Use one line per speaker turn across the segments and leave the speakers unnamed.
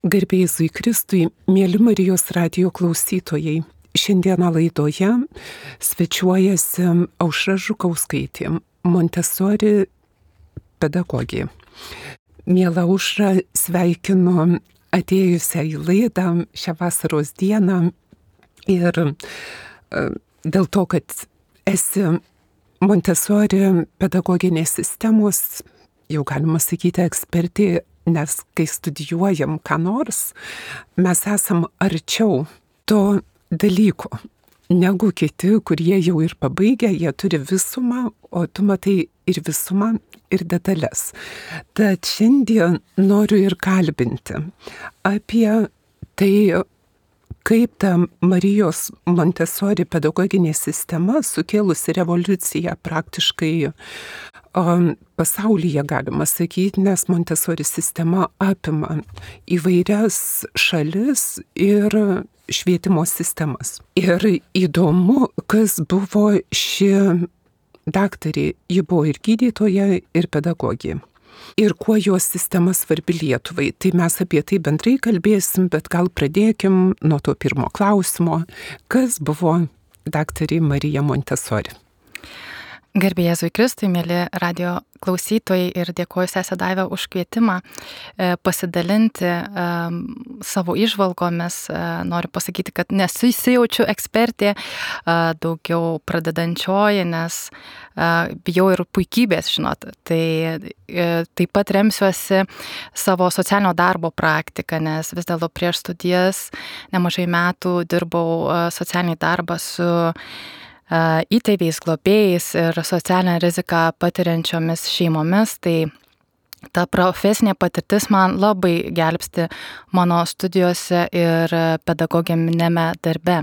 Garbė Jėzui Kristui, mėly Marijos radijo klausytojai. Šiandieną laidoje svečiuojasi Aušra Žukauskaitė, Montessori pedagogė. Miela Aušra, sveikinu atėjusią į laidą šią vasaros dieną ir dėl to, kad esi Montessori pedagoginės sistemos, jau galima sakyti, ekspertė, nes kai studijuojam ką nors, mes esam arčiau to dalyko negu kiti, kurie jau ir pabaigę, jie turi visumą, o tu matai ir visumą, ir detalės. Tad šiandien noriu ir kalbinti apie tai, kaip ta Marijos Montessori pedagoginė sistema sukėlusi revoliuciją praktiškai pasaulyje, galima sakyti, nes Montessori sistema apima įvairias šalis ir švietimo sistemas. Ir įdomu, kas buvo ši daktarė, ji buvo ir gydytoja, ir pedagogė. Ir kuo jos sistema svarbi Lietuvai. Tai mes apie tai bendrai kalbėsim, bet gal pradėkim nuo to pirmo klausimo. Kas buvo daktarė Marija Montessori?
Garbė Jėzui Kristui, mėly radio klausytojai, ir dėkoju sese Daiva už kvietimą pasidalinti savo įžvalgomis. Noriu pasakyti, kad nesijaučiu ekspertė, daugiau pradedančioji, nes bijau ir puikybės, žinot. Tai taip pat remsiuosi savo socialinio darbo praktiką, nes vis dėlto prieš studijas nemažai metų dirbau socialinį darbą su įtėviais, globėjais ir socialinę riziką patiriančiomis šeimomis, tai ta profesinė patirtis man labai gelbsti mano studijose ir pedagoginėme darbe.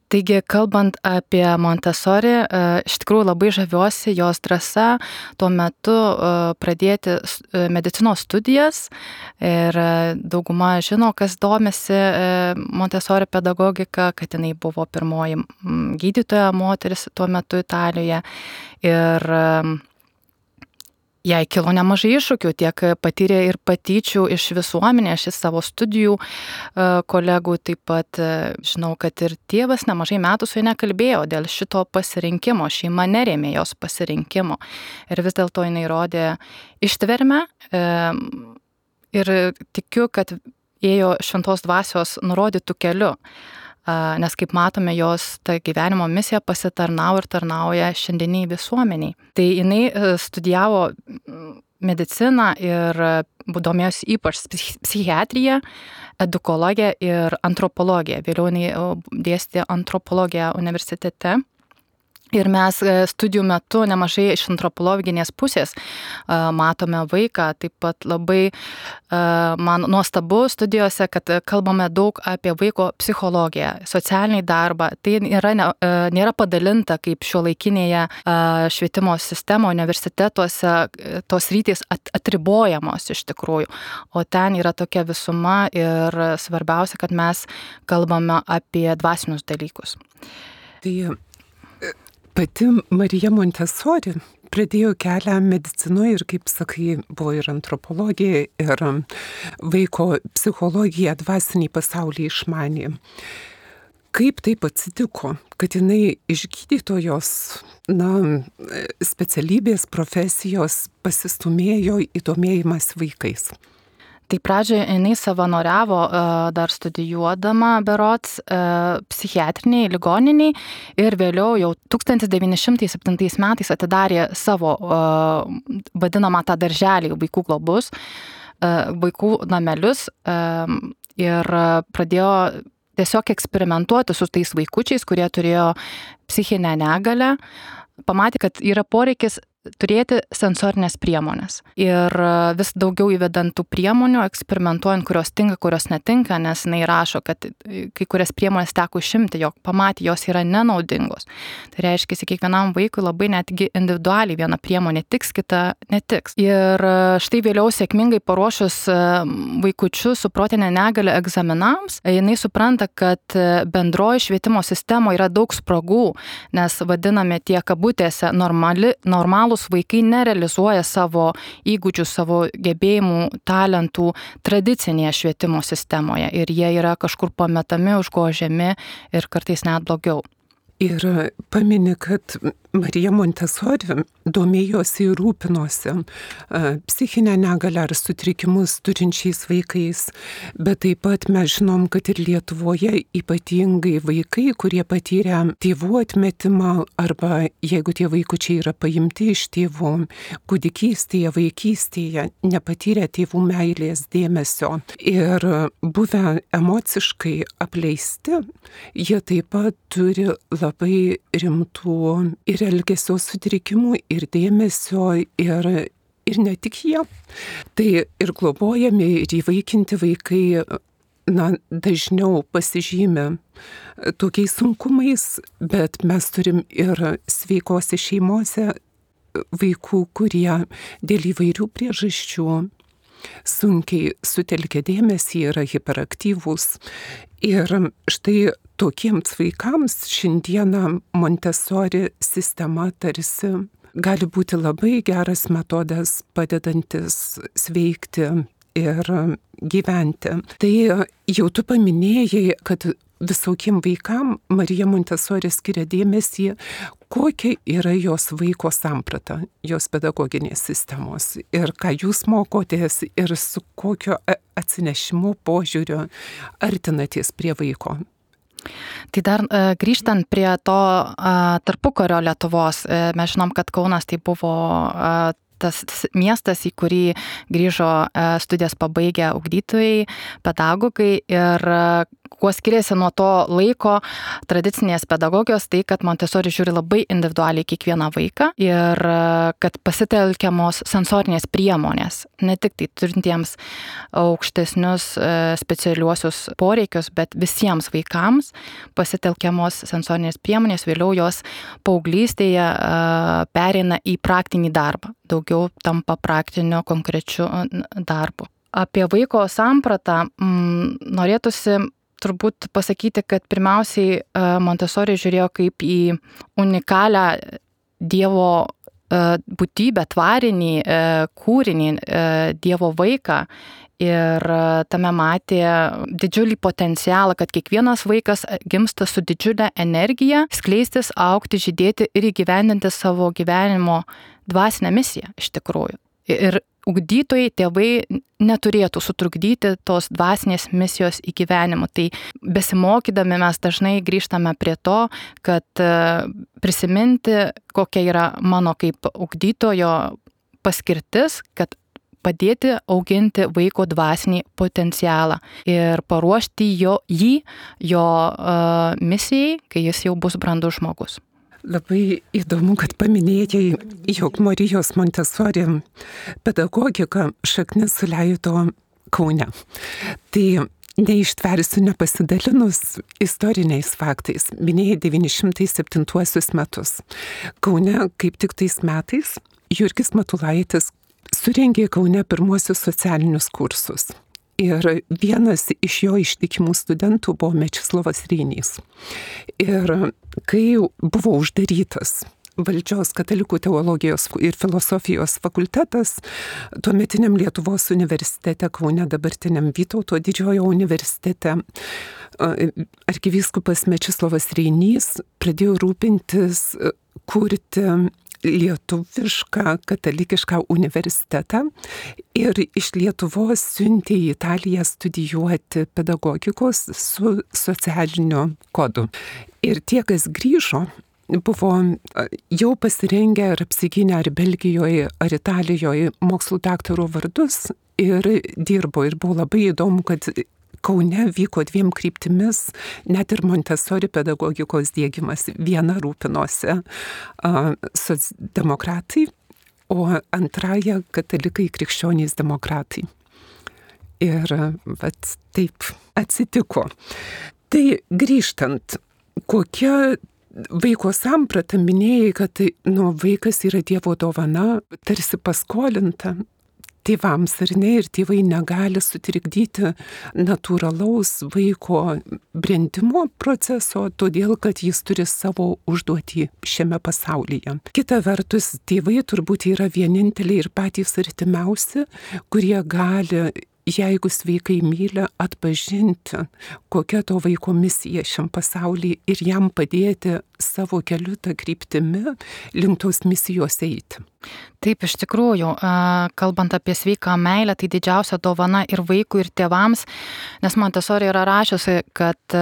Taigi, kalbant apie Montessori, iš tikrųjų labai žaviuosi jos drąsa tuo metu pradėti medicinos studijas ir dauguma žino, kas domisi Montessori pedagogika, kad jinai buvo pirmoji gydytoja moteris tuo metu Italijoje ir jai kilo nemažai iššūkių, tiek patyrė ir patyčių iš visuomenės, iš savo studijų kolegų, taip pat žinau, kad ir tėvas nemažai metų su ja nekalbėjo dėl šito pasirinkimo, šeima nerėmė jos pasirinkimo ir vis dėlto jinai rodė ištvermę ir tikiu, kad ėjo šventos dvasios nurodytų keliu. Nes kaip matome, jos ta gyvenimo misija pasitarnauja ir tarnauja šiandieniai visuomeniai. Tai jinai studijavo mediciną ir domėjosi ypač psichiatriją, edukologiją ir antropologiją. Vėliau jinai dėstė antropologiją universitete. Ir mes studijų metu nemažai iš antropologinės pusės matome vaiką, taip pat labai man nuostabu studijose, kad kalbame daug apie vaiko psichologiją, socialinį darbą. Tai nėra padalinta kaip šiuolaikinėje švietimo sistemo universitetuose, tos rytys atribojamos iš tikrųjų, o ten yra tokia visuma ir svarbiausia, kad mes kalbame apie dvasinius dalykus.
Tai pati Marija Montessori pradėjo kelią medicinoje ir, kaip sakai, buvo ir antropologija, ir vaiko psichologija, dvasiniai pasauliai išmanė. Kaip taip atsitiko, kad jinai iš gydytojos specialybės profesijos pasistumėjo į domėjimas vaikais?
Tai pradžioje jinai savanoriavo dar studijuodama berods psichiatriniai ligoniniai ir vėliau jau 1907 metais atidarė savo vadinamą tą darželį vaikų globus, vaikų namelius ir pradėjo tiesiog eksperimentuoti su tais vaikučiais, kurie turėjo psichinę negalią. Pamatė, kad yra poreikis turėti sensorinės priemonės. Ir vis daugiau įvedant tų priemonių, eksperimentuojant, kurios tinka, kurios netinka, nes jinai rašo, kad kai kurias priemonės teko išimti, jog pamatė, jos yra nenaudingos. Tai reiškia, kiekvienam vaikui labai netgi individualiai viena priemonė tiks, kita netiks. Ir štai vėliau sėkmingai paruošus vaikučius su protinė negalia egzaminams, jinai supranta, kad bendroji švietimo sistemoje yra daug spragų, nes vadiname tie kabutėse normalūs realūs vaikai nerealizuoja savo įgūdžių, savo gebėjimų, talentų tradicinėje švietimo sistemoje ir jie yra kažkur pametami, užgožiami ir kartais net blogiau.
Ir pamini, kad Marija Montessori domėjosi ir rūpinosi psichinę negalią ar sutrikimus turinčiais vaikais, bet taip pat mes žinom, kad ir Lietuvoje ypatingai vaikai, kurie patyrė tėvų atmetimą arba jeigu tie vaikučiai yra paimti iš tėvų, kūdikystėje, vaikystėje, nepatyrė tėvų meilės, dėmesio ir buvę emociškai apleisti, jie taip pat turi labai rimtų ir elgesio sutrikimų, ir dėmesio, ir ne tik jie. Tai ir globojami, ir įvaikinti vaikai dažniau pasižymi tokiais sunkumais, bet mes turim ir sveikose šeimose vaikų, kurie dėl įvairių priežasčių sunkiai sutelkia dėmesį, yra hiperaktyvūs. Ir štai tokiems vaikams šiandieną Montessori sistema tarsi gali būti labai geras metodas padedantis sveikti ir gyventi. Tai jau tu paminėjai, kad visokiem vaikam Marija Montessori skiria dėmesį, kokia yra jos vaiko samprata, jos pedagoginės sistemos ir ką jūs mokotės ir su kokio atsinešimu požiūrio artinatės prie vaiko.
Tai dar grįžtant prie to tarpukario Lietuvos, mes žinom, kad Kaunas tai buvo tas miestas, į kurį grįžo studijas pabaigę ugdytojai, pedagogai ir kuo skiriasi nuo to laiko tradicinės pedagogijos, tai kad Montessori žiūri labai individualiai kiekvieną vaiką ir kad pasitelkiamos sensorinės priemonės, ne tik tai turintiems aukštesnius specialiuosius poreikius, bet visiems vaikams pasitelkiamos sensorinės priemonės, vėliau jos paauglystėje pereina į praktinį darbą, daugiau tampa praktiniu konkrečiu darbu. Apie vaiko sampratą norėtųsi turbūt pasakyti, kad pirmiausiai Montessori žiūrėjo kaip į unikalią Dievo būtybę, tvarinį kūrinį, Dievo vaiką ir tame matė didžiulį potencialą, kad kiekvienas vaikas gimsta su didžiulė energija skleistis, augti, žydėti ir įgyvendinti savo gyvenimo dvasinę misiją iš tikrųjų. Ir ugdytojai, tėvai neturėtų sutrukdyti tos dvasinės misijos įgyvenimo. Tai besimokydami mes dažnai grįžtame prie to, kad prisiminti, kokia yra mano kaip ugdytojo paskirtis, kad padėti auginti vaiko dvasinį potencialą ir paruošti jį misijai, kai jis jau bus brandus žmogus.
Labai įdomu, kad paminėjai, jog Marijos Montessori pedagogika šaknis suleido Kaune. Tai neištversiu nepasidalinus istoriniais faktais. Minėjai 907 metus. Kaune kaip tik tais metais Jurgis Matulaitis surengė Kaune pirmuosius socialinius kursus. Ir vienas iš jo ištikimų studentų buvo Mečislovas Reinys. Ir kai buvo uždarytas valdžios katalikų teologijos ir filosofijos fakultetas, tuometiniam Lietuvos universitete Kaune, dabartiniam Vytauto Didžiojo universitete, arkivyskupas Mečislovas Reinys pradėjo rūpintis kurti lietuvišką katalikišką universitetą ir iš Lietuvos siuntė į Italiją studijuoti pedagogikos su socialiniu kodu. Ir tie, kas grįžo, buvo jau pasirengę ar apsigynę ar Belgijoje, ar Italijoje mokslų daktaro vardus ir dirbo. Ir buvo labai įdomu, kad Kaune vyko dviem kryptimis, net ir Montessori pedagogikos diegimas. Viena rūpinosi socdemokratai, o antraja katalikai krikščionys demokratai. Ir taip atsitiko. Tai grįžtant, kokia vaiko samprata, minėjai, kad vaikas yra Dievo dovana, tarsi paskolinta. tėvams, ar ne, ir tėvai negali sutrikdyti natūralaus vaiko brendimo proceso, todėl kad jis turi savo užduotį šiame pasaulyje. Kita vertus, tėvai turbūt yra vieninteliai ir patys artimiausi, kurie gali, jeigu sveikai myli, atpažinti, kokia to vaiko misija šiam pasaulyje ir jam padėti savo keliu tą kryptimi link tos misijos eiti.
Taip, iš tikrųjų, kalbant apie sveiką meilę, tai didžiausia dovana ir vaikui, ir tėvams, nes Montessori yra rašiusi, kad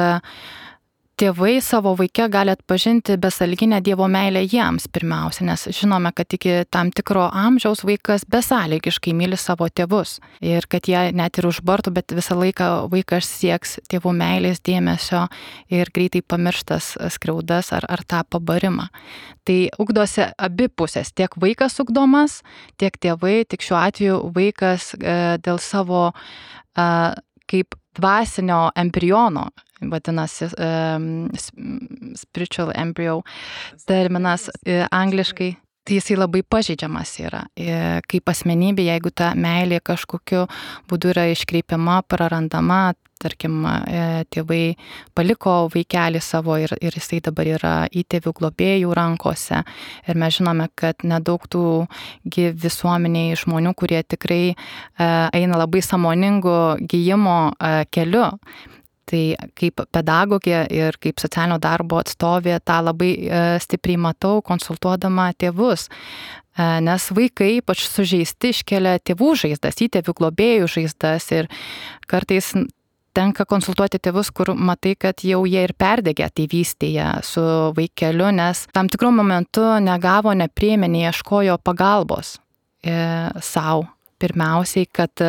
tėvai savo vaike gali atpažinti besąlyginę Dievo meilę jiems pirmiausia, nes žinome, kad iki tam tikro amžiaus vaikas besąlygiškai myli savo tėvus ir kad jie net ir užbartų, bet visą laiką vaikas sieks tėvų meilės, dėmesio ir greitai pamirštas skriaudas ar tą pabarimą. Tai ugdosi abi pusės, tiek vaikas ugdomas, tiek tėvai, tik šiuo atveju vaikas dėl savo kaip dvasinio embriono, vadinasi spiritual embryo terminas angliškai, tai jisai labai pažeidžiamas yra. Kaip asmenybė, jeigu ta meilė kažkokiu būdu yra iškreipiama, prarandama, tarkim, tėvai paliko vaikelį savo ir jisai dabar yra įtėvių globėjų rankose. Ir mes žinome, kad nedaug tų visuomeniai žmonių, kurie tikrai eina labai sąmoningu gijimo keliu. Tai kaip pedagogė ir kaip socialinio darbo atstovė tą labai stipriai matau, konsultuodama tėvus. Nes vaikai ypač sužeisti iškelia tėvų žaizdas, įtėvių globėjų žaizdas ir kartais tenka konsultuoti tėvus, kur matai, kad jau jie ir perdegė tėvystėje su vaikeliu, nes tam tikrų momentų negavo, nepriėmė, neieškojo pagalbos savo. Pirmiausiai, kad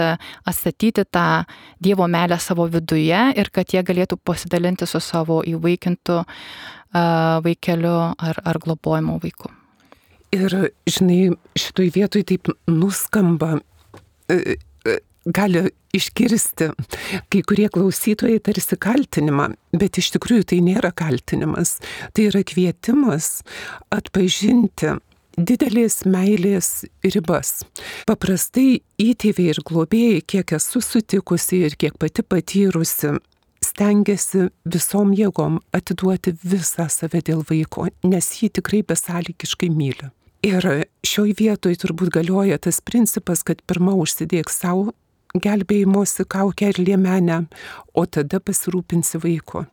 atstatyti tą Dievo meilę savo viduje ir kad jie galėtų pasidalinti su savo įvaikintu vaikeliu ar globojimo vaiku.
Ir, žinai, šitoj vietoj taip nuskamba, gali išgirsti kai kurie klausytojai tarsi kaltinimą, bet iš tikrųjų tai nėra kaltinimas, tai yra kvietimas atpažinti didelės meilės ribas. Paprastai įtėviai ir globėjai, kiek esu sutikusi ir kiek pati patyrusi, stengiasi visom jėgom atiduoti visą save dėl vaiko, nes jį tikrai besąlygiškai myli. Ir šioj vietoj turbūt galioja tas principas, kad pirma užsidėk savo gelbėjimosi kaukę ir liemenę, o tada pasirūpinsi vaiko.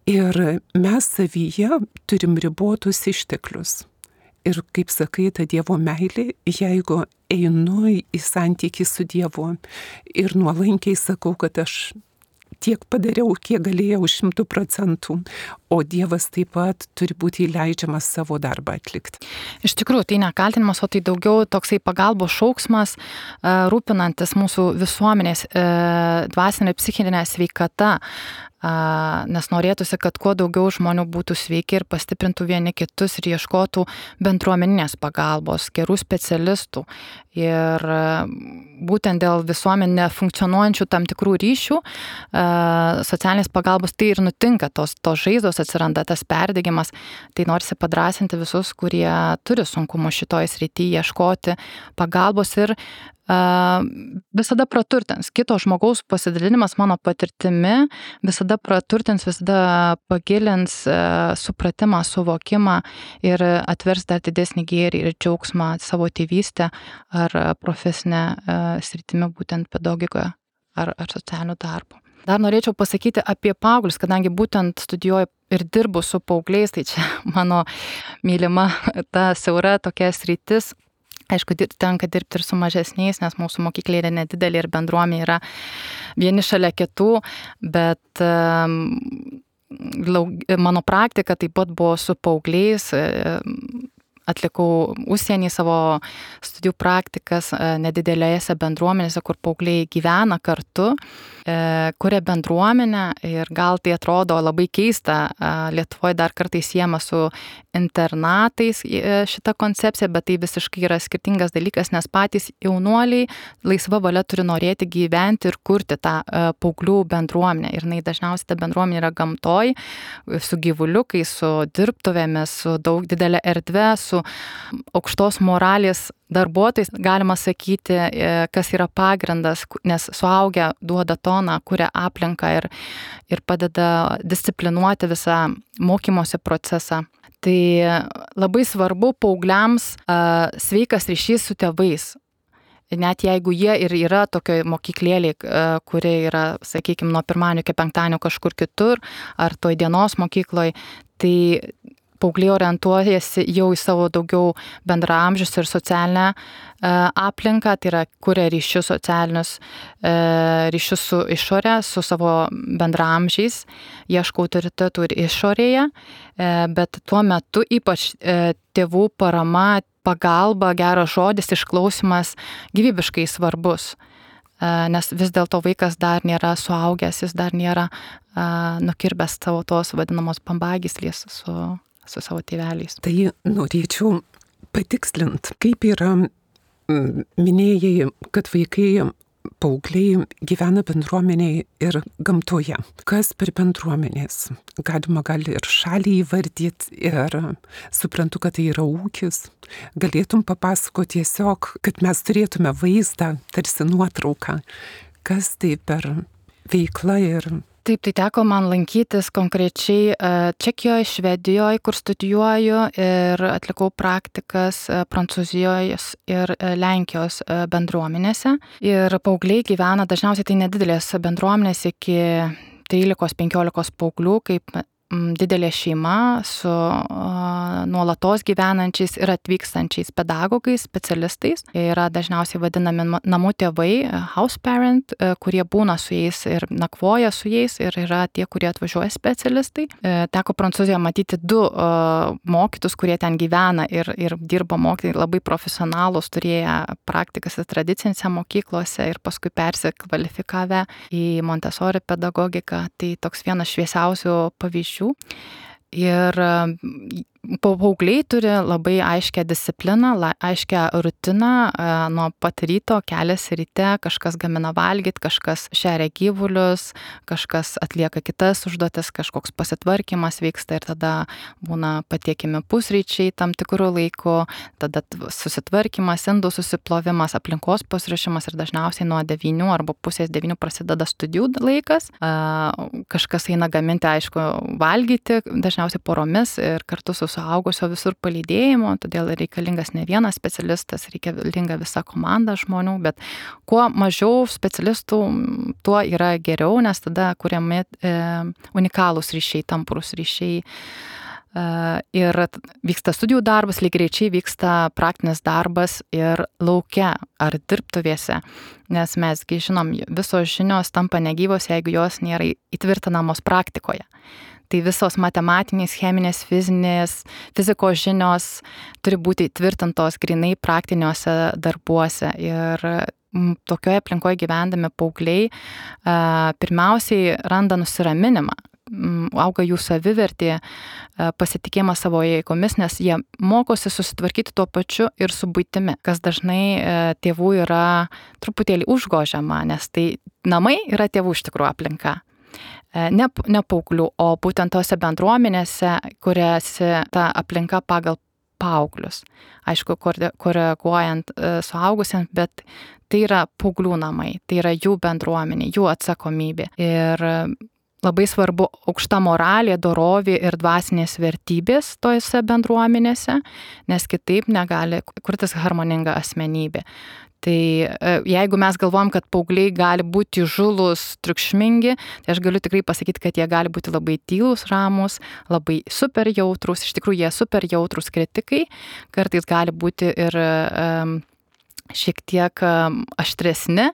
Ir mes savyje turim ribotus išteklius. Ir kaip sakai, ta Dievo meilė, jeigu einu į santykį su Dievu ir nuolankiai sakau, kad aš tiek padariau, kiek galėjau 100%, o Dievas taip pat turi būti įleidžiamas savo darbą atlikti.
Iš tikrųjų, tai nekaltinimas, o tai daugiau toksai pagalbos šauksmas, rūpinantis mūsų visuomenės dvasinė psichinė sveikata, nes norėtųsi, kad kuo daugiau žmonių būtų sveiki ir pastiprintų vieni kitus ir ieškotų bendruomeninės pagalbos, gerų specialistų. Ir būtent dėl visuomenė funkcionuojančių tam tikrų ryšių, socialinės pagalbos, tai ir nutinka, tos žaizdos atsiranda, tas perdegimas. Tai norisi padrąsinti visus, kurie turi sunkumų šitoj srityje, ieškoti pagalbos ir visada praturtins. Kito žmogaus pasidalinimas mano patirtimi visada praturtins, visada pagilins supratimą, suvokimą ir atvers dar didesnį gėrį ir džiaugsmą savo tėvystę ar profesinę sritimi, būtent pedagogikoje ar socialiniu darbu. Dar norėčiau pasakyti apie paauglius, kadangi būtent studijuoju ir dirbu su paaugliais, tai čia mano mylima ta siaura tokia sritis. Aišku, tenka dirbti ir su mažesniais, nes mūsų mokyklė yra nedidelė ir bendruomenė yra vieni šalia kitų, bet mano praktika taip pat buvo su paaugliais. Atlikau užsienį savo studijų praktikas nedidelėse bendruomenėse, kur paaugliai gyvena kartu, kuria bendruomenę ir gal tai atrodo labai keista, Lietuvoje dar kartais siejama su internatais šita koncepcija, bet tai visiškai yra skirtingas dalykas, nes patys jaunuoliai laisva valia turi norėti gyventi ir kurti tą paauglių bendruomenę. Ir dažniausiai ta bendruomenė yra gamtoj, su gyvuliukais, su dirbtuvėmis, su daug didelė erdvė, su su aukštos moralės darbuotojais, galima sakyti, kas yra pagrindas, nes suaugę duoda toną, kuria aplinką ir padeda disciplinuoti visą mokymosi procesą. Tai labai svarbu paaugliams sveikas ryšys su tėvais. Net jeigu jie ir yra tokioje mokyklėlėje, kuri yra, sakykime, nuo pirmadienio iki penktadienio kažkur kitur, ar toj dienos mokykloje, tai paaugliai orientuojasi jau į savo daugiau bendraamžius ir socialinę aplinką, tai yra kuria ryšius socialinius, ryšius su išorė, su savo bendraamžiais, ieško autoritetų ir išorėje, bet tuo metu ypač tėvų parama, pagalba, geras žodis, išklausimas gyvybiškai svarbus, nes vis dėlto vaikas dar nėra suaugęs, jis dar nėra nukirbęs savo tos vadinamos bambagyslės su savo tėveliais.
Tai norėčiau patikslinti, kaip yra, minėjai, kad vaikai, paaugliai gyvena bendruomeniai ir gamtoje. Kas per bendruomenės? Gali ir šalį įvardyti ir suprantu, kad tai yra ūkis. Galėtum papasakoti tiesiog, kad mes turėtume vaizdą, tarsi nuotrauką, kas tai per veikla ir...
Taip, tai teko man lankytis konkrečiai Čekijoje, Švedijoje, kur studijuoju ir atlikau praktikas Prancūzijoje ir Lenkijos bendruomenėse. Ir paaugliai gyvena, dažniausiai tai nedidelės bendruomenės iki 13-15 paauglių, kaip didelė šeima su nuolatos gyvenančiais ir atvykstančiais pedagogais, specialistais. Jie yra dažniausiai vadinami namų tėvai, house parent, kurie būna su jais ir nakvoja su jais ir yra tie, kurie atvažiuoja specialistai. Teko Prancūzijoje matyti 2 mokytus, kurie ten gyvena ir dirba mokytojai, labai profesionalus, turėję praktikas ir tradicinėse mokyklose ir paskui persikvalifikavę į Montessori pedagogiką. Tai toks vienas šviesiausių pavyzdžių. Ir paaugliai turi labai aiškę discipliną, aiškę rutiną, nuo pat ryto keliasi ryte, kažkas gamina valgyti, kažkas šeria gyvulius, kažkas atlieka kitas užduotis, kažkoks pasitvarkymas vyksta ir tada būna patiekimi pusryčiai tam tikrų laikų, tada susitvarkymas, indų susiplovimas, aplinkos pasiruošimas ir dažniausiai nuo 9 arba pusės 9 prasideda studijų laikas. Kažkas eina gaminti, aišku, valgyti, dažniausiai poromis ir kartu su suaugusio visur palydėjimo, todėl reikalingas ne vienas specialistas, reikalinga visa komanda žmonių, bet kuo mažiau specialistų, tuo yra geriau, nes tada kuriami unikalūs ryšiai, tamprūs ryšiai. Ir vyksta studijų darbas, lygiai greičiai vyksta praktinis darbas ir lauke ar dirbtuvėse, nes mesgi žinom, visos žinios tampa negyvos, jeigu jos nėra įtvirtinamos praktikoje. Tai visos matematinės, cheminės, fizikos žinios turi būti įtvirtintos grynai praktiniuose darbuose. Ir tokioje aplinkoje gyvendami paaugliai pirmiausiai randa nusiraminimą. Auga jų savivertė, pasitikėjimas savo jėgomis, nes jie mokosi susitvarkyti tuo pačiu ir su buitimi, kas dažnai tėvų yra truputėlį užgožiama, nes tai namai yra tėvų iš tikrųjų aplinka. Ne paauglių, o būtent tose bendruomenėse, kuriuose ta aplinka pagal paauglius. Aišku, koreguojant suaugusiems, bet tai yra paauglių namai, tai yra jų bendruomenė, jų atsakomybė. Ir labai svarbu aukšta moralė, dorovė ir dvasinės vertybės tose bendruomenėse, nes kitaip negali kurtis harmoninga asmenybė. Tai jeigu mes galvojam, kad paaugliai gali būti įžūlūs, triukšmingi, tai aš galiu tikrai pasakyti, kad jie gali būti labai tylūs, ramūs, labai super jautrūs, iš tikrųjų jie super jautrūs kritikai, kartais gali būti ir šiek tiek aštresni,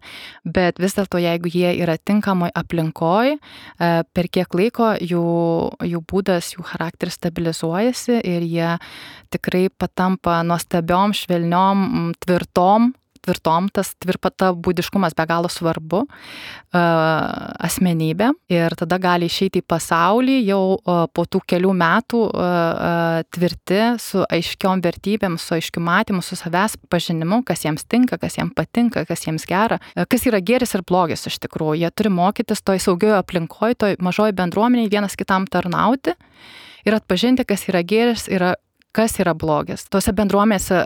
bet vis dėlto jeigu jie yra tinkamoj aplinkoj, per kiek laiko jų būdas, jų charakteris stabilizuojasi ir jie tikrai patampa nuostabiom, švelniom, tvirtom, tas būdiškumas be galo svarbu asmenybė ir tada gali išeiti į pasaulį jau po tų kelių metų tvirti su aiškiom vertybėm, su aiškiu matymu, su savęs pažinimu, kas jiems tinka, kas jiems patinka, kas jiems gera, kas yra gėris ir blogis iš tikrųjų. Jie turi mokytis toj saugioje aplinkoje, toj mažoje bendruomenėje vienas kitam tarnauti ir atpažinti, kas yra gėris ir kas yra blogis. Tose bendruomenėse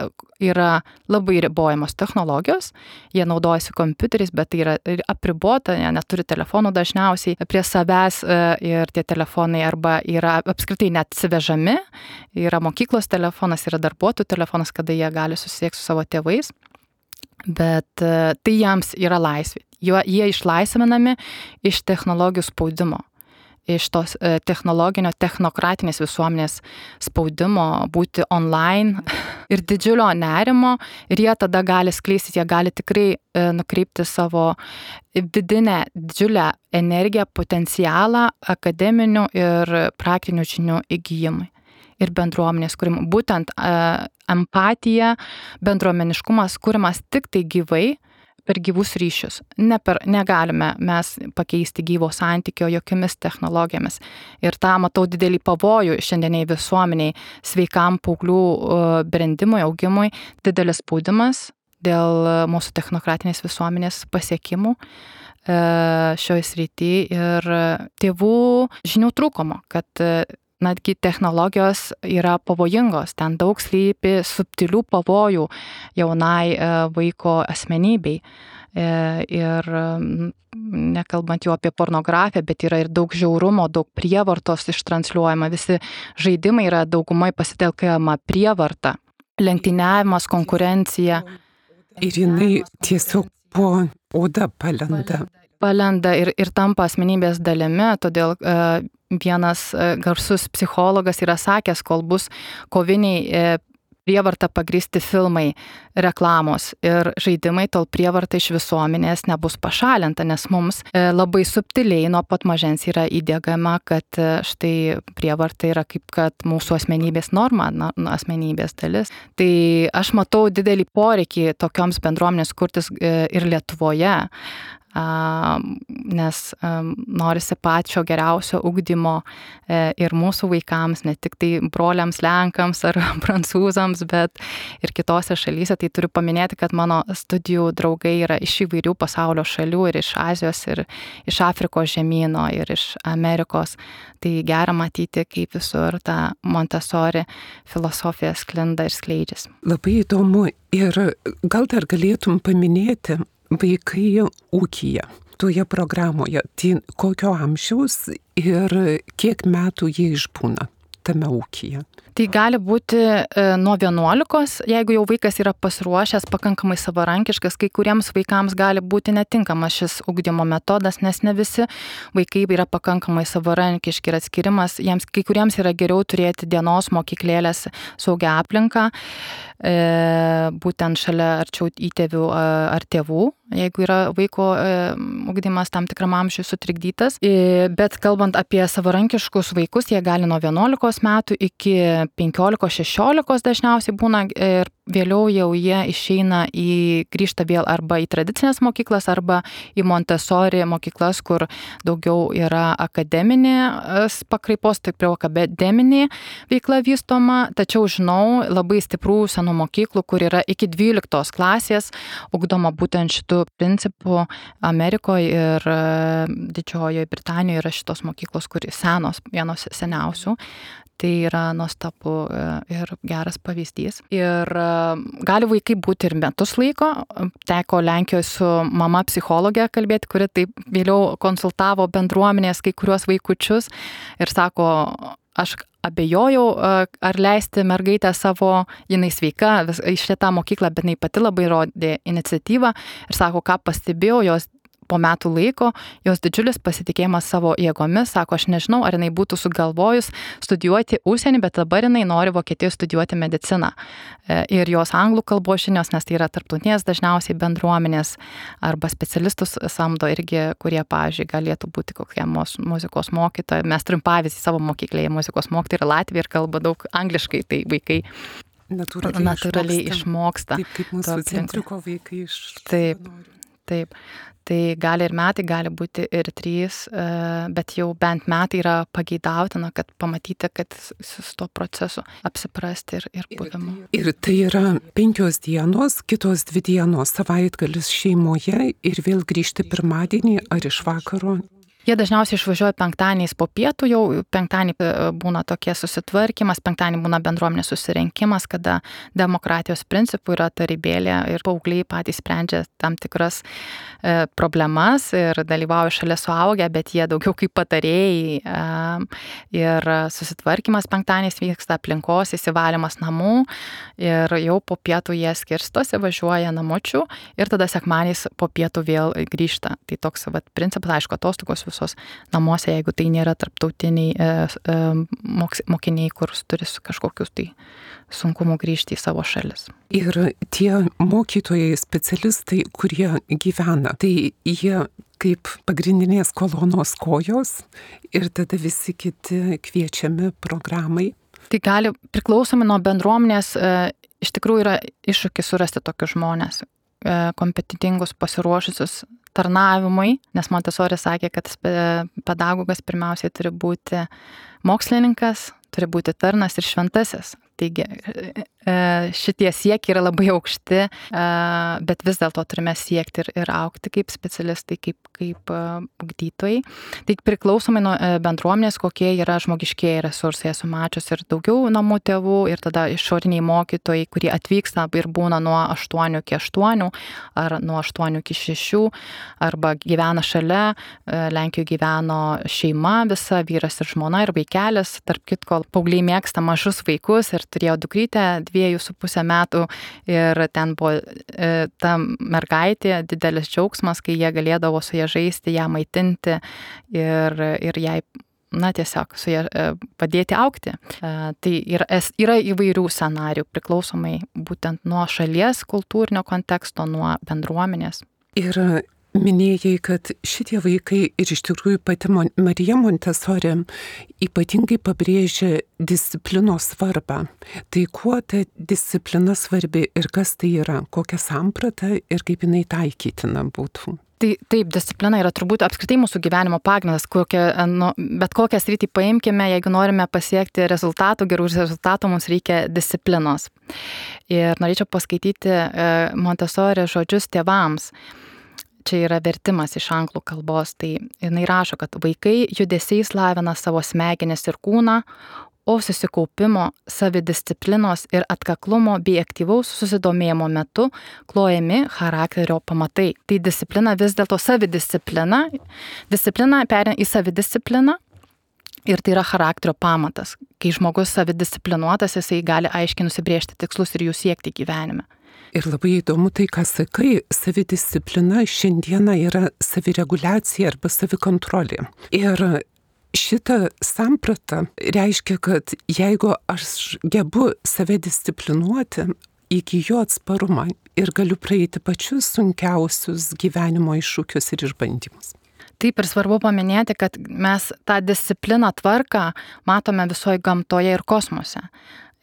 yra labai ribojamos technologijos, jie naudojasi kompiuteriais, bet tai yra apribota, jie neturi telefonų dažniausiai prie savęs ir tie telefonai arba yra apskritai net atsivežami, yra mokyklos telefonas, yra darbuotojų telefonas, kada jie gali susisiekti su savo tėvais, bet tai jiems yra laisvė. Jie išlaisvinami iš technologijų spaudimo, iš tos technologinio, technokratinės visuomenės spaudimo būti online ir didžiulio nerimo, ir jie tada gali skleisti, jie gali tikrai nukreipti savo vidinę didžiulę energiją, potencialą akademinių ir praktinių žinių įgyjimui ir bendruomenės kūrimui. Būtent empatija, bendruomeniškumas kūrimas tik tai gyvai, per gyvus ryšius. Negalime mes pakeisti gyvo santykio jokiomis technologijomis. Ir tą matau didelį pavojų šiandieniai visuomeniai, sveikam paauglių brendimui, augimui, didelis spaudimas dėl mūsų technokratinės visuomenės pasiekimų šioje srityje ir tėvų žinių trūkumo, kad netgi technologijos yra pavojingos, ten daug slypi subtilių pavojų jaunai vaiko asmenybei. Ir nekalbant jau apie pornografiją, bet yra ir daug žiaurumo, daug prievartos ištransliuojama, visi žaidimai yra daugumai pasitelkiama prievarta, lenktyniavimas, konkurencija.
Ir jinai tiesiog po oda palenda
ir tampa asmenybės dalimi, todėl vienas garsus psichologas yra sakęs, kol bus koviniai prievarta pagrįsti filmai, reklamos ir žaidimai, tol prievarta iš visuomenės nebus pašalinta, nes mums labai subtiliai nuo pat mažens yra įdiegama, kad štai prievarta yra kaip kad mūsų asmenybės norma, asmenybės dalis. Tai aš matau didelį poreikį tokioms bendruomenės kurtis ir Lietuvoje, nes norisi pačio geriausio ugdymo ir mūsų vaikams, ne tik tai broliams lenkams ar prancūzams, bet ir kitose šalyse. Tai turiu paminėti, kad mano studijų draugai yra iš įvairių pasaulio šalių, ir iš Azijos, ir iš Afrikos žemyno, ir iš Amerikos. Tai gera matyti, kaip visur ta Montessori filosofija sklinda ir skleidžiasi.
Labai įdomu, ir gal dar galėtum paminėti vaikai ūkyje, toje programoje, tai kokio amžiaus ir kiek metų jie išbūna tame ūkyje?
Tai gali būti nuo 11, jeigu jau vaikas yra pasiruošęs, pakankamai savarankiškas, kai kuriems vaikams gali būti netinkamas šis ugdymo metodas, nes ne visi vaikai yra pakankamai savarankiški ir atskirimas, jiems kai kuriems yra geriau turėti dienos mokyklėlės saugią aplinką, būtent šalia arčiau įtėvių ar tėvų, jeigu yra vaiko ugdymas tam tikram amžiui sutrikdytas. Bet kalbant apie savarankiškus vaikus, jie gali nuo 11 metų iki 15-16 dažniausiai būna, ir vėliau jau jie grįžta vėl arba į tradicinės mokyklas, arba į Montessori mokyklas, kur daugiau yra akademinės pakraipos, taip jau akademinė veikla vystoma. Tačiau žinau labai stiprų senų mokyklų, kur yra iki 12 klasės ugdoma būtent šitų principų. Amerikoje ir Didžiojoje Britanijoje yra šitos mokyklos, kur senos, vienos seniausių. Tai yra nuostabu ir geras pavyzdys. Ir gali vaikai būti ir metus laiko. Teko Lenkijoje su mama psichologė kalbėti, kuri taip vėliau konsultavo bendruomenės kai kuriuos vaikučius ir sako, aš abejojau, ar leisti mergaitę savo, jinai sveika, į šitą mokyklą, bet jinai pati labai rodė iniciatyvą ir sako, ką pastebėjau, jos po metų laiko, jos didžiulis pasitikėjimas savo jėgomis, sako, aš nežinau, ar jinai būtų sugalvojus studijuoti užsienį, bet dabar jinai nori Vokietijoje studijuoti mediciną. Ir jos anglų kalbos žinios, nes tai yra tarptautinės dažniausiai bendruomenės arba specialistus samdo irgi, kurie, pavyzdžiui, galėtų būti kokie muzikos mokytojai. Mes turim pavyzdį savo mokyklėje, muzikos mokytojai yra Latvija ir kalba daug angliškai, tai vaikai natūraliai išmoksta.
Taip kaip mūsų centriuko vaikai iš...
Taip. Tai gali ir metai, gali būti ir 3, bet jau bent metai yra pageidautina, kad pamatyti, kad su to procesu apsiprasti ir buvimu.
Ir tai yra 5 dienos, kitos 2 dienos, savaitgalis šeimoje ir vėl grįžti pirmadienį ar iš vakaro?
Jie dažniausiai išvažiuoja penktadieniais po pietų, jau penktadienį būna tokie susitvarkymas, penktadienį būna bendruomenės susirinkimas, kada demokratijos principų yra tarybėlė ir paaugliai patys sprendžia tam tikras problemas ir dalyvauja šalia suaugę, bet jie daugiau kaip patarėjai. Ir susitvarkymas penktadieniais vyksta, aplinkos įsivalymas namų ir jau po pietų jie skirstosi, važiuoja namučių ir tada sekmadieniais po pietų vėl grįžta. Tai toks principas, aišku, atostogos visos namuose, jeigu tai nėra tarptautiniai mokiniai, kur turi kažkokius tai sunkumų grįžti į savo šalis.
Ir tie mokytojai, specialistai, kurie gyvena, tai jie kaip pagrindinės kolonos kojos ir tada visi kiti kviečiami programai.
Tai gali priklausomai nuo bendruomenės, iš tikrųjų yra iššūkis surasti tokius žmonės, kompetentingus, pasiruošusius tarnavimui, nes Montessori sakė, kad pedagogas pirmiausiai turi būti mokslininkas, turi būti tarnas ir šventasis. Taigi šitie siekiai yra labai aukšti, bet vis dėlto turime siekti ir augti kaip specialistai, kaip ugdytojai. Tai priklausomai nuo bendruomenės, kokie yra žmogiškieji resursai. Esu mačius ir daugiau namų tėvų, ir tada išoriniai mokytojai, kurie atvyksta ir būna nuo 8 iki 8, ar nuo 8 iki 6, arba gyvena šalia. Lenkijoje gyveno šeima visa, vyras ir žmona ir vaikelis. Tarp kitko, paaugliai mėgsta mažus vaikus ir turėjo dukrytę 2,5 metų ir ten buvo ta mergaitė, didelis džiaugsmas, kai jie galėdavo su ją žaisti, ją maitinti ir jai, tiesiog su ją padėti augti. Tai yra įvairių scenarių, priklausomai būtent nuo šalies kultūrinio konteksto, nuo bendruomenės.
Ir minėjai, kad šitie vaikai ir iš tikrųjų pati Marija Montessori ypatingai pabrėžia disciplinos svarbą. Tai kuo ta disciplina svarbi ir kas tai yra, kokia samprata ir kaip jinai taikytina būtų?
Taip, disciplina yra turbūt apskritai mūsų gyvenimo pagrindas, bet kokią sritį paimkime, jeigu norime pasiekti rezultatų, gerų rezultatų, mums reikia disciplinos. Ir norėčiau paskaityti Montessori žodžius tėvams. Čia yra vertimas iš anglų kalbos, tai jinai rašo, kad vaikai judesiais lavina savo smegenis ir kūną, o susikaupimo, savidisciplinos ir atkaklumo bei aktyvaus susidomėjimo metu klojami charakterio pamatai. Tai disciplina vis dėlto savidisciplina, disciplina perina į savidiscipliną ir tai yra charakterio pamatas. Kai žmogus savidisciplinuotas, jisai gali aiškiai nusibrėžti tikslus ir jų siekti gyvenime.
Ir labai įdomu tai, ką sakai, savidisciplina šiandieną yra savireguliacija arba savikontrolė. Ir šitą sampratą reiškia, kad jeigu aš gebu save disciplinuoti, įgyju atsparumą ir galiu praeiti pačius sunkiausius gyvenimo iššūkius ir išbandymus.
Taip ir svarbu paminėti, kad mes tą discipliną tvarką matome visoje gamtoje ir kosmose.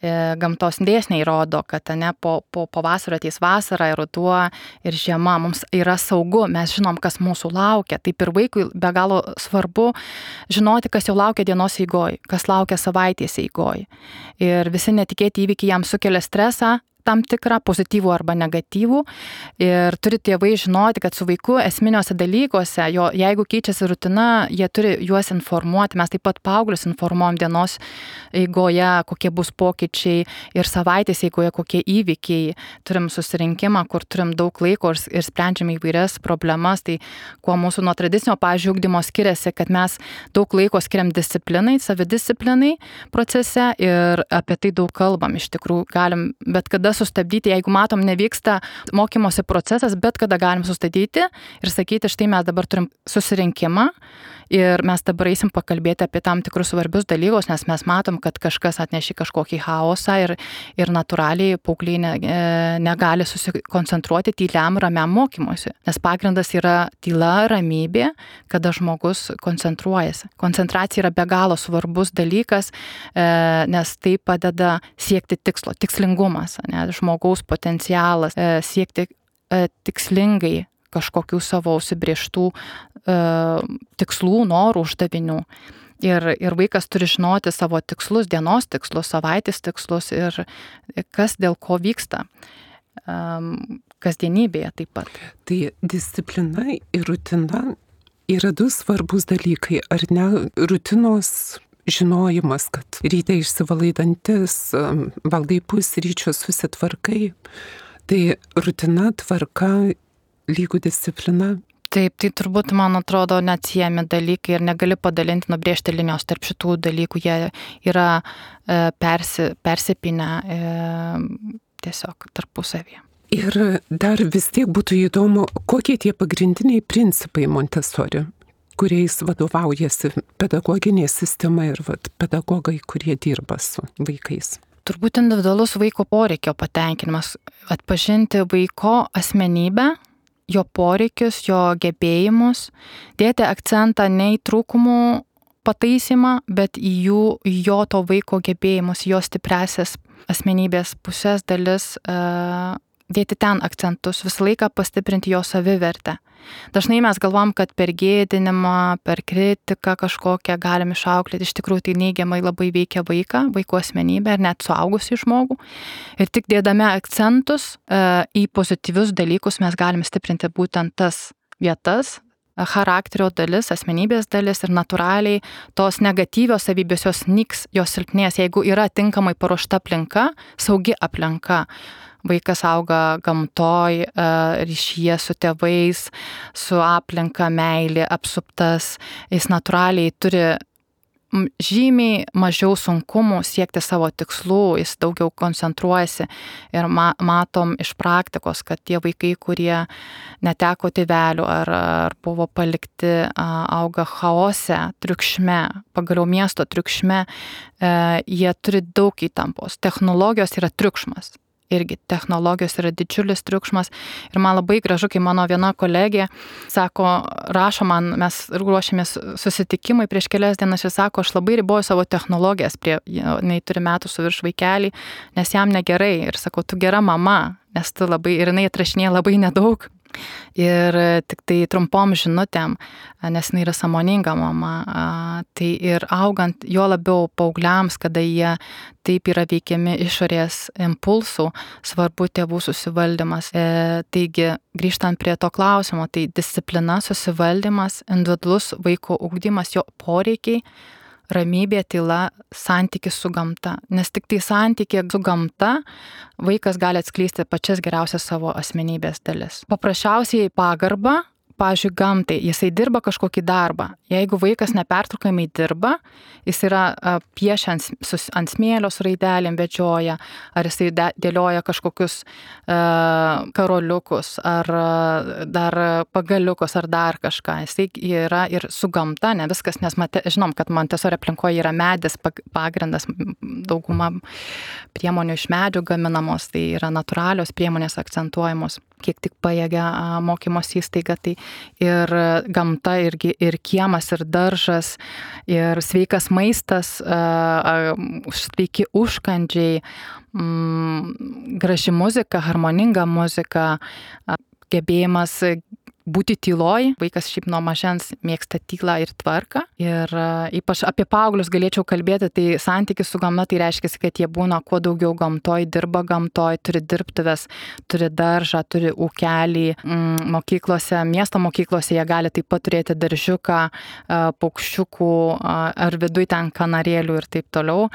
Gamtos dėsniai rodo, kad po pavasario ateis vasara ir ruduo ir žiema, mums yra saugu, mes žinom, kas mūsų laukia. Taip ir vaikui be galo svarbu žinoti, kas jau laukia dienos eigoj, kas laukia savaitės eigoj. Ir visi netikėti įvykiai jam sukelia stresą, tam tikrą pozityvų arba negatyvų. Ir turi tėvai žinoti, kad su vaiku esminiuose dalykuose, jeigu keičiasi rutina, jie turi juos informuoti. Mes taip pat paauglius informuojam dienos eigoje, kokie bus pokyčiai ir savaitės eigoje, kokie įvykiai. Turim susirinkimą, kur turim daug laiko ir sprendžiam įvairias problemas. Tai kuo mūsų nuo tradicinio, pavyzdžiui, ugdymo skiriasi, kad mes daug laiko skiriam disciplinai, savidisciplinai procese ir apie tai daug kalbam. Iš tikrųjų, galim bet kada sustabdyti, jeigu matom nevyksta mokymosi procesas, bet kada galim sustabdyti ir sakyti, štai mes dabar turim susirinkimą ir mes dabar eisim pakalbėti apie tam tikrus svarbius dalykus, nes mes matom, kad kažkas atneši kažkokį chaosą ir natūraliai paaugliai negali susikoncentruoti tyliam, ramiam mokymuose. Nes pagrindas yra tyla, ramybė, kada žmogus koncentruojasi. Koncentracija yra be galo svarbus dalykas, nes tai padeda siekti tikslo, tikslingumas, žmogaus potencialas, siekti tikslingai kažkokių savo užsibrėžtų tikslų, norų, uždavinių. Ir vaikas turi žinoti savo tikslus, dienos tikslus, savaitės tikslus ir kas dėl ko vyksta kasdienybėje taip pat.
Tai disciplina ir rutina yra du svarbus dalykai, ar ne, rutinos žinojimas, kad ryte išsivalai dantis, valgai pusryčius, susitvarkai. Tai rutina, tvarka, lygų disciplina.
Taip, tai turbūt, man atrodo, neatsiejami dalykai ir negali padalinti, nubrėžti linijos tarp šitų dalykų. Jie yra persipinę tiesiog tarpusavyje.
Ir dar vis tiek būtų įdomu, kokie tie pagrindiniai principai Montessori, kuriais vadovaujasi pedagoginė sistema ir pedagogai, kurie dirba su vaikais.
Turbūt individualus vaiko poreikio patenkinimas, atpažinti vaiko asmenybę, jo poreikius, jo gebėjimus, dėti akcentą ne į trūkumų pataisymą, bet į jo to vaiko gebėjimus, jo stipresias asmenybės pusės dalis, dėti ten akcentus, visą laiką pastiprinti jo savivertę. Dažnai mes galvom, kad per gėdinimą, per kritiką kažkokią galim išauklėti, iš tikrųjų tai neigiamai labai veikia vaiko asmenybę ir net suaugusį žmogų. Ir tik dėdami akcentus į pozityvius dalykus mes galim stiprinti būtent tas vietas, charakterio dalis, asmenybės dalis ir natūraliai tos negatyvios savybės jos nyks, jos silpnės, jeigu yra tinkamai paruošta aplinka, saugi aplinka. Vaikas auga gamtoj, ryšyje su tėvais, su aplinka, meilė, apsuptas. Jis natūraliai turi žymiai mažiau sunkumų siekti savo tikslų, jis daugiau koncentruojasi. Ir matom iš praktikos, kad tie vaikai, kurie neteko tėvelių ar buvo palikti, auga chaose, triukšme, pagaliau miesto triukšme, jie turi daug įtampos. Technologijos yra triukšmas. Irgi technologijos yra didžiulis triukšmas ir man labai gražu, kai mano viena kolegė sako, rašo man, mes ruošiamės susitikimai prieš kelias dienas ir sako, aš labai riboju savo technologijas, jinai turi metų su virš vaikelį, nes jam negerai ir sako, tu gera mama, nes tu labai, ir jinai atrašinėja labai nedaug. Ir tik tai trumpom žinutėm, nes jinai yra sąmoninga mama, tai ir augant jo labiau paaugliams, kada jie taip yra veikiami išorės impulsų, svarbu tėvų susivaldymas. Taigi, grįžtant prie to klausimo, tai disciplina, susivaldymas, individualus vaiko ugdymas, jo poreikiai, ramybė, tyla, santykis su gamta. Nes tik tai santykė su gamta vaikas gali atskleisti pačias geriausias savo asmenybės dalis. Paprasčiausiai pagarba, pavyzdžiui, gamtai, jisai dirba kažkokį darbą. Jeigu vaikas nepertraukiamai dirba, jis yra piešia ant smėlio su raidelėm, vedžioja, ar jisai dėlioja kažkokius karoliukus, ar dar pagaliukus, ar dar kažką. Jisai yra ir su gamta, ne viskas, nes žinom, kad Montessori aplinkoje yra medis pagrindas, dauguma priemonių iš medžių gaminamos, tai yra natūralios priemonės akcentuojamos, kiek tik pajėgia mokymos įstaiga, tai ir gamta, ir kiemas, ir daržas, ir sveikas maistas, sveiki užkandžiai, graži muzika, harmoninga muzika, gebėjimas būti tyloj. Vaikas šiaip nuo mažens mėgsta tylą ir tvarką. Ir ypač apie paauglius galėčiau kalbėti, tai santykis su gamta, tai reiškia, kad jie būna kuo daugiau gamtoj, dirba gamtoj, turi dirbtuves, turi daržą, turi ūkelį. Mokyklose, miesto mokyklose jie gali taip pat turėti daržiuką, paukščiukų ar viduj ten kanarėlių ir taip toliau.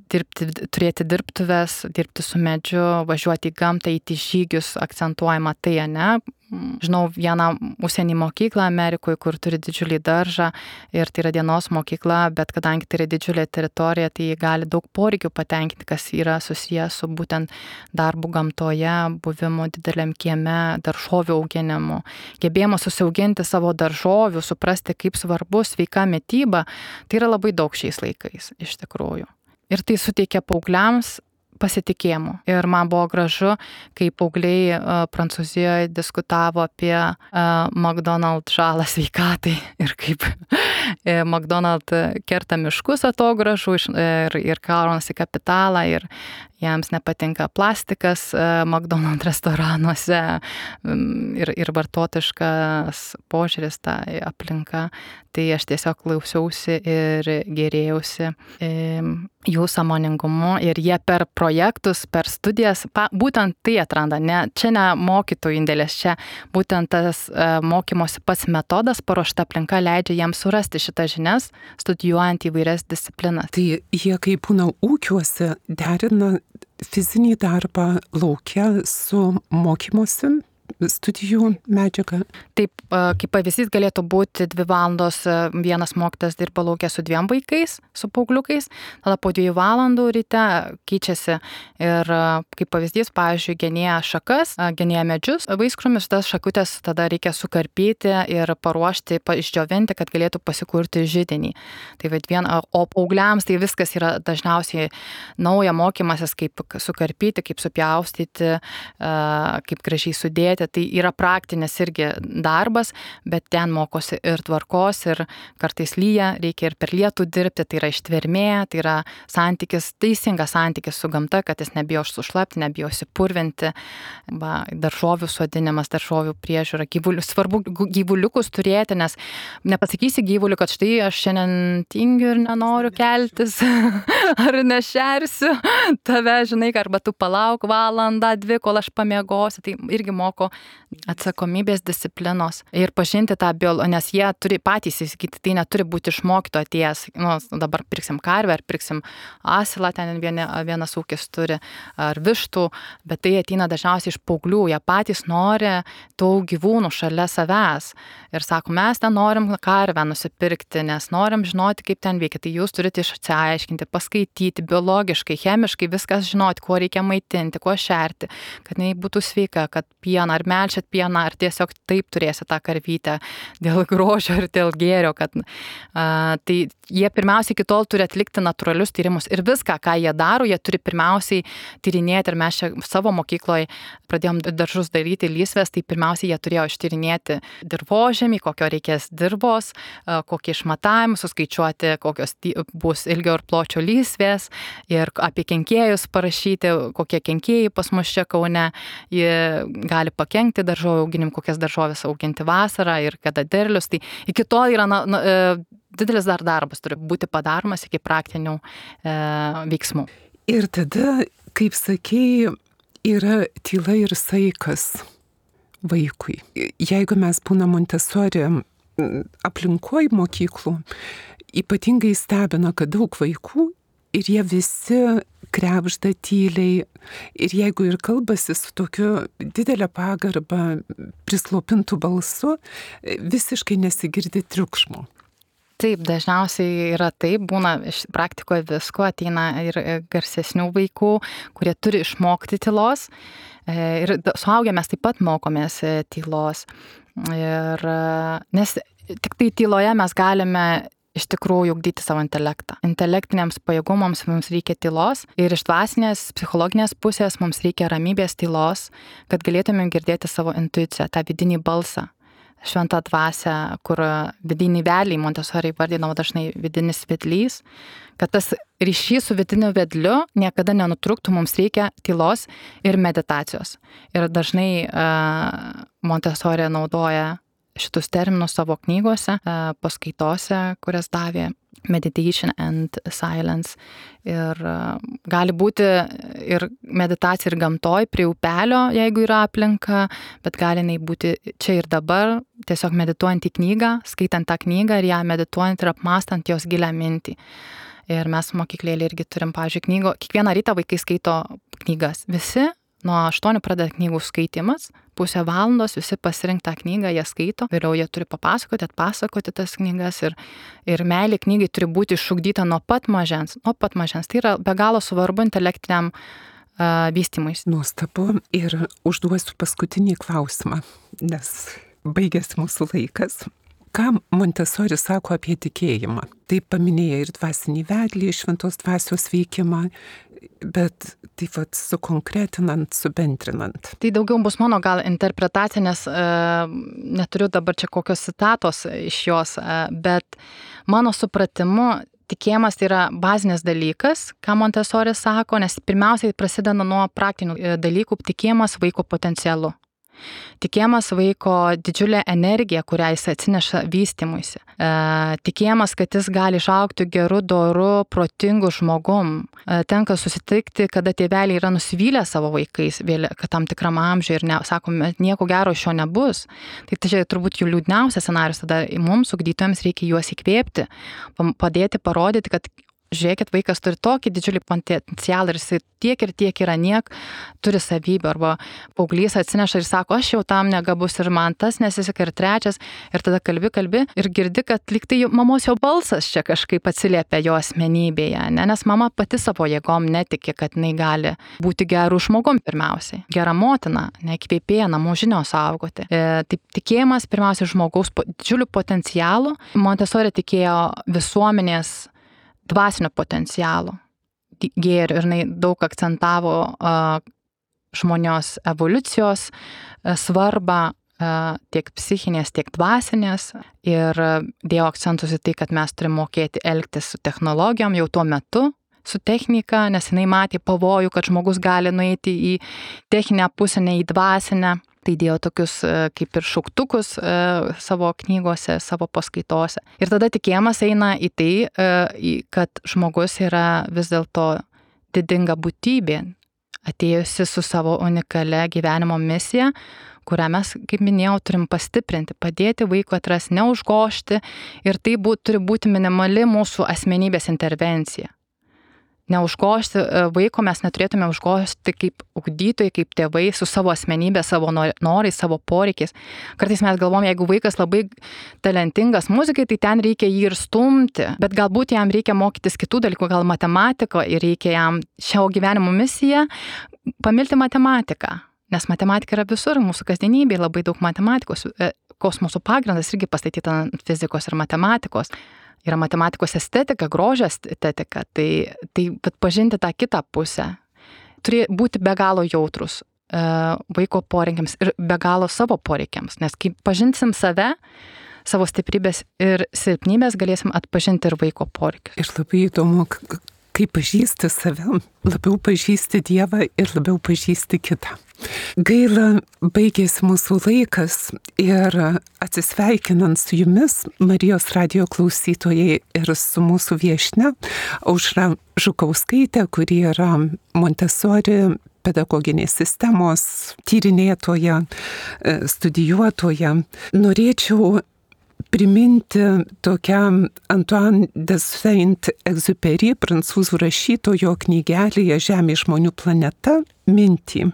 Turėti dirbtuves, dirbti su medžiu, važiuoti į gamtą, įti žygius, akcentuojama tai, ne? Žinau vieną užsienį mokyklą Amerikoje, kur turi didžiulį daržą ir tai yra dienos mokykla, bet kadangi tai yra didžiulė teritorija, tai gali daug poreikių patenkinti, kas yra susijęs su būtent darbu gamtoje, buvimu dideliam kieme, daržovių auginimu, gebėjimu susiauginti savo daržovių, suprasti, kaip svarbu sveika mityba, tai yra labai daug šiais laikais iš tikrųjų. Ir tai suteikia paaugliams pasitikėjimu. Ir man buvo gražu, kai paaugliai Prancūzijoje diskutavo apie McDonald's žalą sveikatai ir kaip McDonald's kerta miškus atogražų ir kaunasi kapitalą ir jiems nepatinka plastikas McDonald's restoranuose ir vartotojiškas požiūris tą aplinką. Tai aš tiesiog klausiausi ir gėrėjausi jų sąmoningumu ir jie per projektus, per studijas, būtent tai atranda. Čia ne mokytojų indėlis, čia būtent tas mokymosi pats metodas, paruošta aplinka leidžia jiems surasti šitas žinias, studijuojant įvairias disciplinas.
Tai jie, kai būna ūkiuose, derina fizinį darbą lauke su mokymosi studijų medžiaga.
Taip, kaip pavyzdys galėtų būti 2 valandos, vienas mokytojas dirba lauke su 2 vaikais, su paaugliukais, tada po 2 valandų ryte keičiasi ir kaip pavyzdys, pavyzdžiui, genėja šakas, genėja medžius, vaiskrūmius, tas šakutės tada reikia sukarpyti ir paruošti, išdžiovinti, kad galėtų pasikurti židinį. Tai o paaugliams tai viskas yra dažniausiai nauja mokymasis, kaip sukarpyti, kaip supjaustyti, kaip gražiai sudėti. Tai yra praktinis irgi darbas, bet ten mokosi ir tvarkos, ir kartais lyja, reikia ir per lietų dirbti, tai yra ištvermė, tai yra teisingas santykis su gamta, kad jis nebijo sušlapti, nebijo įsipurvinti, daržovių sodinimas, daržovių priežiūra, svarbu gyvuliukus turėti, nes nepasakysi gyvuliu, kad štai aš šiandien tingiu ir nenoriu keltis, ar nešersiu tave, žinai, arba tu palauk valandą, 2, kol aš pamiegosiu, tai irgi moko atsakomybės, disciplinos ir pažinti tą nes jie turi patys įsigyti, tai neturi būti išmokto atėjęs, dabar pirksim karvę, ar pirksim asilą, ten vienas ūkis turi, ar vištų, bet tai ateina dažniausiai iš paauglių, jie patys nori tų gyvūnų šalia savęs ir sako, mes ten norim karvę nusipirkti, nes norim žinoti, kaip ten veikia, tai jūs turite išsiaiškinti, paskaityti, biologiškai, chemiškai viskas žinoti, kuo reikia maitinti, kuo šerti, kad jinai būtų sveika, kad pieną, ar melčiat pieną, ar tiesiog taip turėsi tą karvytę dėl grožio ir dėl gėrio, kad tai jie pirmiausiai iki tol turi atlikti natūralius tyrimus ir viską, ką jie daro, jie turi pirmiausiai tyrinėti ir mes čia savo mokykloje pradėjom daržus daryti lysvės, tai pirmiausiai jie turėjo ištyrinėti dirvožemį, kokio reikės dirbos, kokie išmatavimai, suskaičiuoti, kokios bus ilgio ir pločio lysvės ir apie kenkėjus parašyti, kokie kenkėjai pas mus čia Kaune, jie gali pakenkti daržovių auginim, kokias daržovės auginti vasarą ir kada derlius. Tai iki to yra didelis dar darbas, turi būti padaromas iki praktinių veiksmų.
Ir tada, kaip sakei, yra tyla ir saikas vaikui. Jeigu mes būnam Montessori aplinkoj mokyklų, ypatingai stebina, kad daug vaikų ir jie visi krebžda tyliai ir jeigu ir kalbasi su tokiu didelę pagarbą, prislopintų balsu, visiškai nesigirdi triukšmo.
Taip, dažniausiai yra taip, būna iš praktikoje visko, ateina ir garsesnių vaikų, kurie turi išmokti tylos ir suaugę mes taip pat mokomės tylos. Nes tik tai tyloje mes galime iš tikrųjų ugdyti savo intelektą. Intelektiniams pajėgumams mums reikia tylos ir iš dvasinės, psichologinės pusės mums reikia ramybės tylos, kad galėtume girdėti savo intuiciją, tą vidinį balsą, šventą dvasią, kur vidinį vedlį, Montessori vardinama dažnai vidinis vedlys, kad tas ryšys su vidiniu vedliu niekada nenutrūktų, mums reikia tylos ir meditacijos. Ir dažnai Montessori naudoja šitus terminus savo knygose, paskaitose, kurias davė Meditation and Silence. Ir gali būti ir meditacija ir gamtoj, prie upelio, jeigu yra aplinka, bet gali jinai būti čia ir dabar, tiesiog medituojant į knygą, skaitant tą knygą ir ją medituojant ir apmastant jos gilią mintį. Ir mes mokyklėlė irgi turim, pavyzdžiui, knygų. Kiekvieną rytą vaikai skaito knygas. Visi nuo 8 pradeda knygų skaitimas, pusę valandos visi pasirinkt tą knygą, jie skaito, vėliau jie turi papasakoti, atpasakoti tas knygas ir meilė knygai turi būti išugdyta nuo pat mažens. Tai yra be galo svarbu intelektiniam vystymuisi.
Nuostabu ir užduosiu paskutinį klausimą, nes baigėsi mūsų laikas. Ką Montessori sako apie tikėjimą? Tai paminėja ir dvasinį vedlį, šventos dvasios veikimą, bet taip pat sukonkretinant, subendrinant.
Tai daugiau bus mano gal interpretacija, nes neturiu dabar čia kokios citatos iš jos, bet mano supratimu tikėjimas tai yra bazinis dalykas, ką Montessori sako, nes pirmiausiai prasideda nuo praktinių dalykų, tikėjimas vaiko potencialu. Tikėjimas vaiko didžiulė energija, kurią jis atsineša vystymuisi. Tikėjimas, kad jis gali išaugti geru, doru, protingu žmogum. Tenka susitikti, kada tėveliai yra nusivylę savo vaikais, kad tam tikram amžiui ir sakome, nieko gero iš jo nebus. Tai čia turbūt jų liūdniausias scenarius, tada mums, ugdytojams, reikia juos įkvėpti, padėti, parodyti, kad žiūrėkit, vaikas turi tokį didžiulį potencialą ir jis tiek yra turi savybių, arba paauglys atsineša ir sako, aš jau tam negabus ir man tas nesiseka ir trečias, ir tada kalbi ir girdi, kad lyg tai mamos jau balsas čia kažkaip atsiliepia jo asmenybėje, nes mama pati savo jėgom netiki, kad jinai gali būti gerų žmogum pirmiausiai, gera motina, nekvėpėja namų žinios saugoti. Taip, tikėjimas pirmiausiai žmogaus didžiulių potencialų. Montessori tikėjo visuomenės dvasinio potencialo gėrių ir jinai daug akcentavo žmonijos evoliucijos svarbą tiek psichinės, tiek dvasinės ir dėjo akcentus į tai, kad mes turime mokėti elgtis su technologijom jau tuo metu, su technika, nes jinai matė pavojų, kad žmogus gali nueiti į techninę pusę, ne į dvasinę. Tai dėjo tokius kaip ir šauktukus savo knygose, savo paskaitose. Ir tada tikėjimas eina į tai, kad žmogus yra vis dėlto didinga būtybė, atėjusi su savo unikalia gyvenimo misija, kurią mes, kaip minėjau, turim pastiprinti, padėti vaikui atrasti, neužgožti ir tai turi būti minimali mūsų asmenybės intervencija. Neužgožti vaiko mes neturėtume užgožti kaip ugdytojai, kaip tėvai su savo asmenybė, savo norais, savo poreikiais. Kartais mes galvom, jeigu vaikas labai talentingas muzikai, tai ten reikia jį ir stumti, bet galbūt jam reikia mokytis kitų dalykų, gal matematiko ir reikia jam šio gyvenimo misiją pamilti matematiką, nes matematika yra visur, mūsų kasdienybėje labai daug matematikos, kosmoso pagrindas irgi pastatyta ant fizikos ir matematikos. Yra matematikos estetika, grožio estetika, tai pažinti tą kitą pusę. Turi būti be galo jautrus vaiko poreikiams ir be galo savo poreikiams, nes kai pažinsim save, savo stiprybės ir silpnybės, galėsim atpažinti ir vaiko poreikius.
Ir labai įdomu, kai pažįsti save, labiau pažįsti Dievą ir labiau pažįsti kitą. Gaila, baigėsi mūsų laikas ir atsisveikinant su jumis, Marijos radijo klausytojai ir su mūsų viešnia Aušra Žukauskaitė, kuri yra Montessori pedagoginės sistemos tyrinėtoja, studijuotoja, norėčiau priminti tokią Antoine de Saint-Exupéry, prancūzų rašytojo knygelėje Žemė žmonių planeta mintį.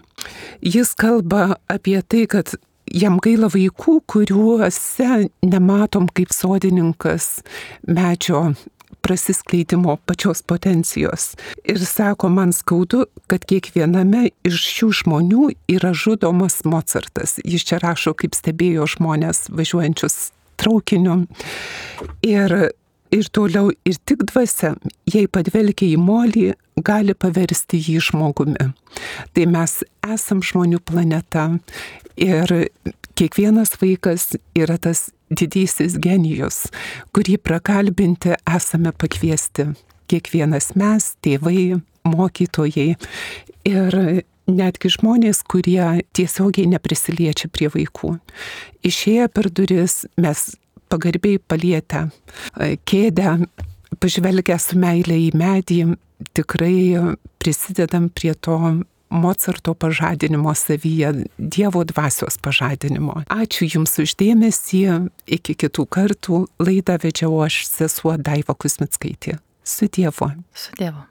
Jis kalba apie tai, kad jam gaila vaikų, kuriuose nematom kaip sodininkas medžio prasiskleidimo pačios potencijos. Ir sako, man skaudu, kad kiekviename iš šių žmonių yra žudomas Mozartas. Jis čia rašo, kaip stebėjo žmonės važiuojančius traukiniu. Ir toliau, ir tik dvasia, jei padvelkia į molį, gali paversti jį žmogumi. Tai mes esam žmonių planeta ir kiekvienas vaikas yra tas didysis genijus, kurį prakalbinti esame pakviesti. Kiekvienas mes, tėvai, mokytojai ir netgi žmonės, kurie tiesiogiai neprisiliečia prie vaikų. Išėję per duris, mes pagarbiai palietę kėdę, pažvelgę su meilė į medį, tikrai prisidedam prie to Mozarto pažadinimo savyje, Dievo dvasios pažadinimo. Ačiū Jums už dėmesį, iki kitų kartų. Laidą vedžiau aš, sesuo Daiva Kuzmickaitė. Su Dievu.
Su Dievu.